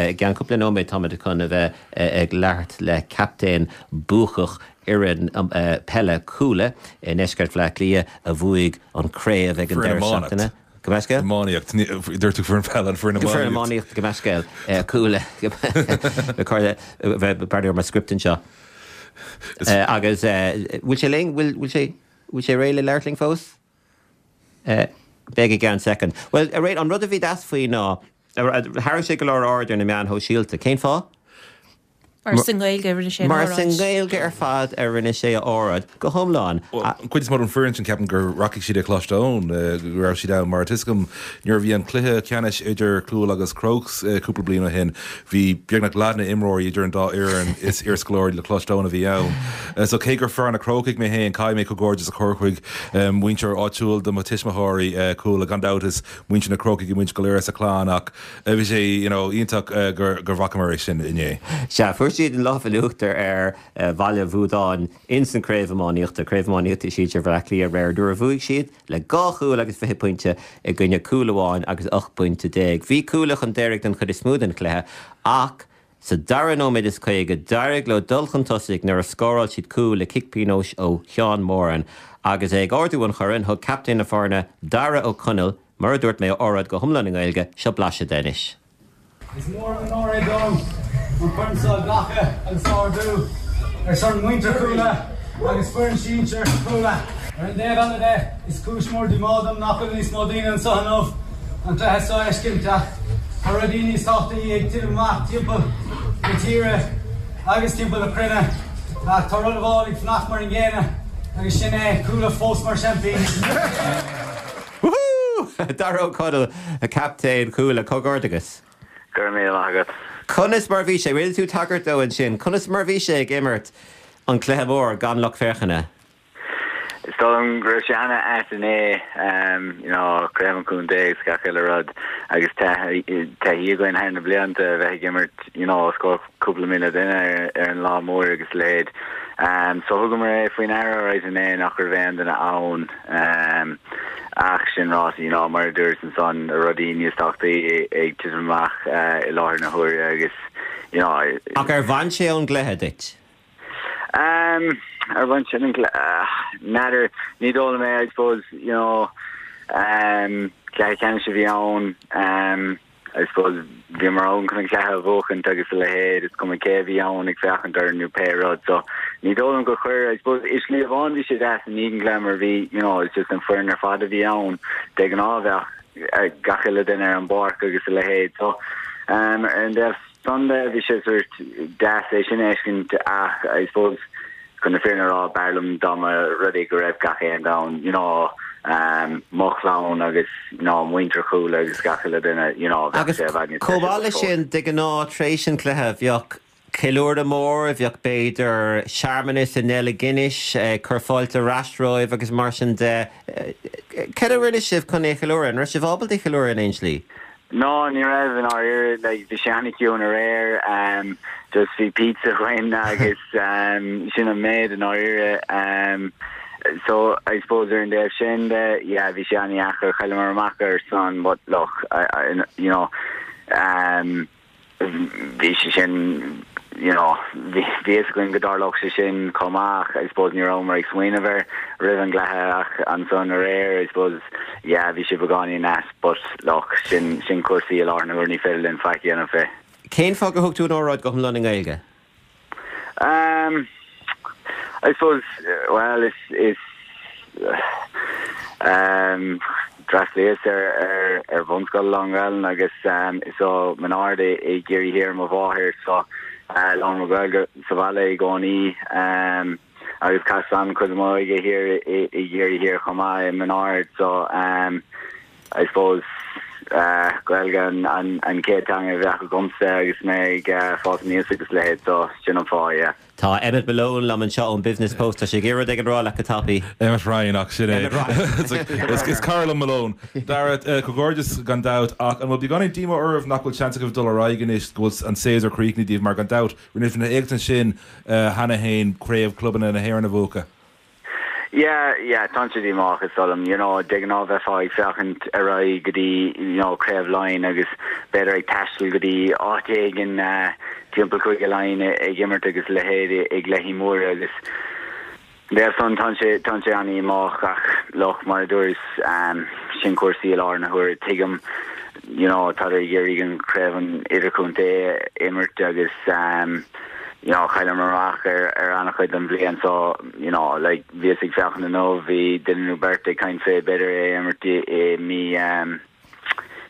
I gceann cúpla nóiméad táimid chun a bheith ag labhairt le captaen buacach fhoireann peile Cuala i ndeisceart Bhaile Átha Cliath a bhuaigh an craobh ag an Foireann deireadh iománacht. seachtaine. Gabh mo leithscéal? Iománaíocht. Dúirt tú foireann peile, an foireann Foireann iománaíocht. iománaíocht, gabh mo leithscéal. Cuala. Bheith breathnú ar mo script anseo. Agus bhfuil sé linn? Bhfuil sé bhfuil sé réidh le labhairt linn fós? Beidh i gceann soicind. Bhuel, an rud a bhí deas faoi ná, tharraing sé go leor aird ar na meáin shóisialta. Cén fáth? Mar is i nGaeilge a rinne sé an Mar is i óráid. nGaeilge ar fad a rinne sé a óráid, go hiomlán. Bhuel, an chuid is mó den foireann sin, ceapaim go rachaidh siad ag Coláiste Eoin, go raibh siad ann, mar tá 'fhios agam, nuair a bhí an cluiche ceannais idir Cuala agus Crokes cúpla bliain ó shin, bhí beagnach leath na n-imreoirí idir an dá fhoireann, is iarscoláirí le Coláiste Eoin a bhí ann. So cé gur fear na Crócaigh mé féin, caithfidh mé comhghairdeas a chur chuig muintir áitiúil do mo tuismitheoirí, Cuala, gan dabht is muintir na Crócaigh muid go léir sa chlann ach bhí sé you know iontach gur gur bhfacamar é sin inné. Sea, fuair siad an lámh in uachtar ar Bhaile Bhuadáin ins an Craobh Iománaíochta, Craobh Iománaíochta Sinsir Bhaile Átha Cliath aréir nuair a bhuaigh siad le dhá chúl agus 20 pointe i gcoinne cúl amháin agus 18 bpointe. Bhí Cuala chun deiridh den chuid is mó den chluiche ach sa dara nóiméad is 50 d'éirigh leo dul chun tosaigh nuair a scóráil siad cúl le cic pionóis ó Sheán Moran. Agus é ag ardú an choirn, thug captaen na foirne, Dara Ó Conaill, mar a dúirt mé, a óráid go hiomlán i nGaeilge, seo blaiseadh de anois. Is mór an onóir é dom an corn seo a ghlacadh agus a ardú ar son muintir Chuala agus foireann sinsir Chuala. Ar an dtaobh eile de, is cúis mhór díomá dom nach bhfuil níos mó daoine anseo inniu an cluiche seo a fheiscint ach tá rudaí níos tábhachtaí ag titim amach timpeall na tíre agus timpeall na cruinne ach tá rud amháin ag fanacht mar an gcéanna agus sin é Cuala fós mar seaimpíní. Woohoo! Dara Ó Conaill, captaen Chuala, comhghairdeachas. Go raibh míle maith agat. Conas mar a bhí sé, rinne tú tagairt dó ansin, conas mar a bhí sé ag imirt an cluiche mór gan lucht féachana? Is dóigh liom go raibh sé ana-ait inné, you know, craobh an chontae agus gach uile rud agus taithí againn thar na blianta a bheith ag imirt, you know, os comhair cúpla 1,000 duine ar an lá mór agus a leithéid. So thugamar é faoi ndeara alright inné nach raibh aon duine ann ach sin ráite, you know, mar a dúras ansan, rudaí níos tábhachtaí ag titim amach i láthair na huaire agus, you know. Ach ar bhain sé ón gcluiche duit? Um, ar bhain sé an N'fheadar, ní dóigh liom é, I suppose, you know, um, cluiche ceannais a bhí ann, um, I suppose bhíomar ann chun an cluiche a bhuachaint agus a leithéid, is cuma cé a bhí ann ag féachaint orainn nó pé rud, so ní dóigh liom gur chuir, I suppose, i slí amháin bhí sé deas i ndiaidh an chluiche mar bhí, you know, it's just an foireann ar fad a bhí ann, de ghnáth bheadh gach uile duine ar an bpáirc agus a leithéid, so, um, ar an dtaobh san de, bhí sé sort deas é sin a fheiscint ach I suppose chun na fírinne a rá b'fhearr liom dá mba rud é go raibh gach aon duine ann, you know, um, mo chlann agus you know, muintir Chuala agus gach uile duine, you know, bheadh Agus sé i bhfad níos chomh deise maith leis fós. sin, de ghnáth tar éis an chluiche bheadh ceiliúradh mór, bheadh b'fhéidir searmanas i nDeilg Guinness ag cur fáilte ar ais romhaibh agus mar sin de. Cad a rinne sibh chun é a cheiliúradh? An raibh sibh ábalta é a cheiliúradh in aon slí? No, ní raibh, i ndáiríre, like, bhí sé an-chiúin aréir, um, just bhí pizza againn agus um, sin an méid i ndáiríre. Um, so, I suppose ar an dtaobh sin de, yeah, bhí sé an-dheacair, chailleamar amach ar san, but look, I, I, you know, um, bhí sé sin, you know, bhí fhios againn go dtarlódh sé sin chomh maith ach I suppose ní rabhamar ag smaoineamh air roimh an gcluiche ach ansan aréir I suppose, yeah, bhí sé beagáinín ait but look, sin, sin cúrsaí i láthair na huaire, ní féidir linn faic a dhéanamh fé. Cén fáth gur thug tú an óráid go hiomlán i nGaeilge? Um, I suppose, well, is, is, um, d'fhreastlaíos ar, ar, ar bhunscoil lán-Ghaelainn agus um, is ó Mhin Aird i, i gCiarraí Thiar mo mháthair, so uh, labhair muid Gaeilge sa bhaile i gcónaí um, agus chaitheas an-chuid de m'óige thiar i, i gCiarraí Thiar chomh maith i Min Ard, so um, I suppose, Gaeilge an chéad teanga a bheadh agamsa agus mé ag fás aníos agus a leithéid, so sin an fáth, yeah. Tá Emmet Malone liom anseo ón Business Post. Tá sé ag iarraidh rud éigin a rá leat go tapaidh. Emmet Ryan, ach sin é. Emmet Ryan. Is cara liom Malone. Dara, comhghairdeas gan dabht, ach an bhfuil beagáinín díomá oraibh nach bhfuil seans agaibh dul ar aghaidh anois, go bhfuil an séasúr críochnaithe daoibh, mar gan dabht, rinne sibh na héachtaint sin cheana féin, Craobh Clubanna na hÉireann a bhuachan? Yeah, yeah, tá sé díomách is dóigh liom, you know, de ghnáth bheifeá ag féachaint ar aghaidh go dtí, you know, Craobh Laighean agus b'fhéidir ag taisteal go dtí áit éigin timpeall Cúige Laighean ag imirt agus a leithéid i gcluichí móra agus bheadh san, tá sé, tá sé an-dhíomách ach look, mar a dúras, sin cúrsaí i láthair na huaire, tuigim, you know, tádar ag iarraidh an Craobh an Idirchontae a imirt agus, you know, chailleamar amach ar ar an-chuid den bhliain so, you know, like, bhíos ag féachaint inniu, bhí duine nó beirt ag caint fé b'fhéidir é a imirt i mí um,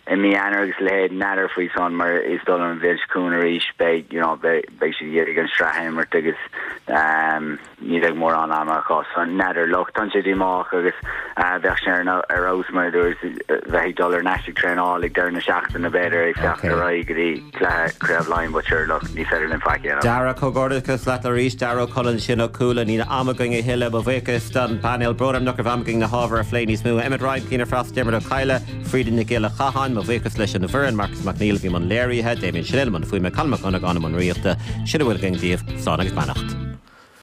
i mí Eanáir agus a leithéid, n'fheadar faoi san mar is dóigh liom an bhliain seo chugainn arís beidh, you know, beidh, beidh siad ag iarraidh an sraith a imirt agus um, ní bheidh mórán ama acu so n'fheadar, look, tá sé díomách agus bheadh sé ar fheabhas mar a dúras bheith ag dul ar ais ag traenáil ag deireadh na seachtaine b'fhéidir ag féachaint ar aghaidh go dtí cluiche Craobh Laighean but sure look ní féidir linn faic a dhéanamh. Dara, comhghairdeachas leat arís, Dara Ó Conaill ansin ó Cuala. Níl am againn a thuilleadh. Mo bhuíochas don bpainéal. Brón orm nach raibh am againn na hábhair a phlé níos mó. Emmet Ryan, Clíona Frost, Diarmuid Ó Cadhla, Frida Nic Giolla Chatháin. Mo bhuíochas leis an bhfoireann, Marcus Mac Neill a bhí i mbun léirithe, Damien Chennell i mbun fuaime, Colm Mac Dhonnagáin i mbun rúnaíochta. Sin a bhfuil againn daoibh. Slán agus beannacht.